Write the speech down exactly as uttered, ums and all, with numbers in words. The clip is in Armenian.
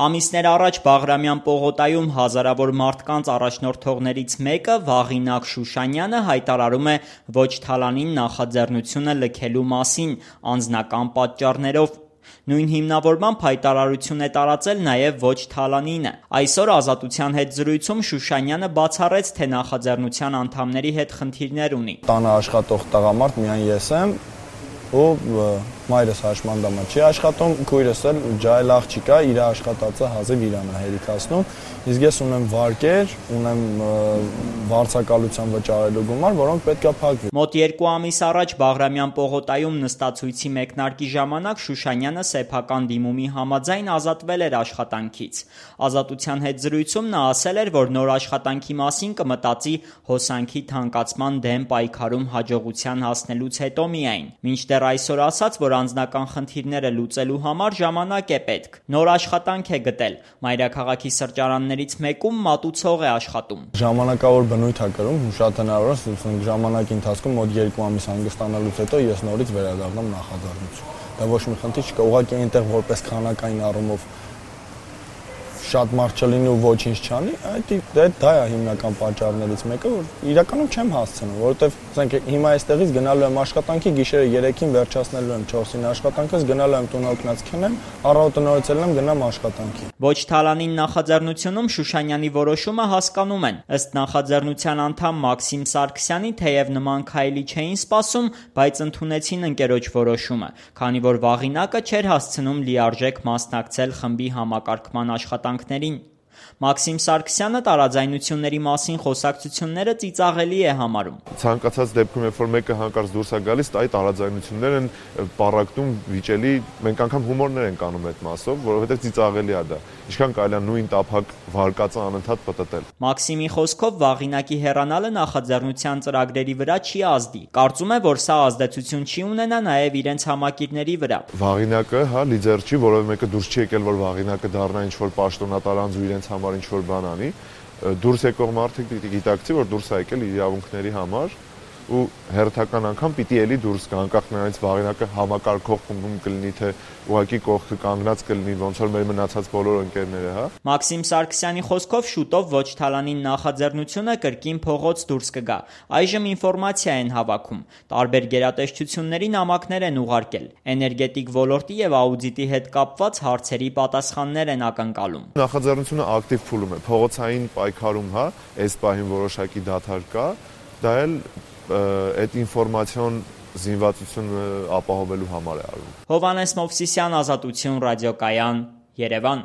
Ամիսներ առաջ Բաղրամյան պողոտայում հազարավոր մարդկանց առաջնորդողներից մեկը Վաղինակ Շուշանյանը հայտարարում է ոչ թալանին նախաձեռնությունը լքելու մասին անձնական պատճառներով։ Նույն հիմնավորմամբ հայտարարություն է տարածել նաև ոչ թալանինը։ Այսօր Ազատության հետ զրույցում Շուշանյանը բացառեց, թե նախաձեռնության անդամների հետ խնդիրներ ունի։ Տանը աշխատող տղամարդ միայն ես եմ, ու մայրս հաշմանդամը չի աշխատում, քույրս էլ ջահել աղջիկ է, իր աշխատածը հազիվ իրան է հերիքացնում, իսկ ես ունեմ վարկեր, ունեմ վարձակալության վճարելու գումար, որոնք պետք է փակվի։ Մոտ երկու ամիս առաջ Բաղրամյան պողոտայում նստացույցի մեկնարկի ժամանակ Շուշանյանը սեփական դիմումի համաձայն ազատվել էր աշխատանքից։ Ազատության հետ զրույցում նա ասել էր, որ նոր աշխատանքի մասին կմտածի հոսանքի թանկացման դեմ պայքարում հաջողության հասնելուց հետո միայն։ Մինչդեռ այսօր ասաց, որ անձնական խնդիրները լուծելու համար ժամանակ է պետք։ Նոր աշխատանք է գտել։ Մայրաքաղաքի սրճարաններից մեկում մատուցող է աշխատում։ Ժամանակավոր բնույթ է կրում, շատ հնարավոր է ժամանակի ընթացքում մոտ երկու ամիս հանգստանալուց հետո ես նորից վերադառնամ նախաձեռնություն։ Դա ոչ մի խնդիր չկա, ուղղակի այնտեղ որպես քանակային առումով շատ մարդ չլինի ու ոչինչ չանի, դա է հիմնական պատճառներից մեկը, որ իրականում չեմ հասցնում, որովհետև ասենք հիմա այստեղից գնալու եմ աշխատանքի, գիշերը երեքին վերջացնելու եմ չորսին աշխատանքս, գնալու եմ տուն օգնած քնեմ, առավոտը նորից ելնեմ գնամ աշխատանքի։ Ոչ թալանին նախաձեռնությունում Շուշանյանի որոշումը հասկանում են։ Ըստ նախաձեռնության անդամ Մաքսիմ Սարգսյանի, թեև նման քայլի չէին սպասում, բայց ընդունեցին ընկերոջ որոշումը, քանի որ Վաղինակը չէր հասցնում լիարժեք մասնակցել խմբի համակարգման աշխատանքներին։ Մաքսիմ Սարգսյանը տարաձայնությունների մասին խոսակցությունները ծիծաղելի է համարում։ Ցանկացած դեպքում, երբ որ մեկը հանկարծ դուրս է գալիս, այդ տարաձայնություններն են պառակտում, վիճելի, մենք անգամ հումորներ ենք անում այդ մասով, որովհետև ծիծաղելի է դա։ Ինչքան կարելի է նույն տափակ վարկածը անընդհատ պտտել։ Մաքսիմի խոսքով Վաղինակի հեռանալը նախաձեռնության ծրագրերի վրա չի ազդի։ Կարծում է, որ սա ազդեցություն չի ունենա նաև իրենց համակիրների վրա։ Վաղինակը, հա, լիդեր չի, որովհետև մեկը դուրս չի եկել, որ Վաղինակը դառնա ինչ-որ պաշտոնատար ու իրենց համար ինչ-որ բան անի, դուրս եկող մարդիկ պիտի գիտակցի, որ դուրս է եկել իր իրավունքների համար ու հերթական անգամ պիտի էլի դուրս գա, անկախ նրանից Վաղինակը համակարգող խմբում կլինի, թե ուղղակի կողքը կանգնած կլինի, ոնց որ մեր մնացած բոլոր ընկերները, հա։ Մաքսիմ Սարգսյանի խոսքով շուտով ոչ թալանին նախաձեռնությունը կրկին փողոց դուրս կգա։ Այժմ ինֆորմացիա են հավաքում։ Տարբեր գերատեսչությունների նամակներ են ուղարկել։ Էներգետիկ ոլորտի եւ աուդիտի հետ կապված հարցերի պատասխաններ են ակնկալում։ Նախաձեռնությունը ակտիվ փուլում է, փողոցային պայքարում, հա, այս պահին որոշակի դադար կա, դա էլ այդ ինֆորմացիոն զինվածությունը ապահովելու համար է արվում։ Հովհաննես Մովսիսյան, Ազատություն ռադիոկայան, Երևան։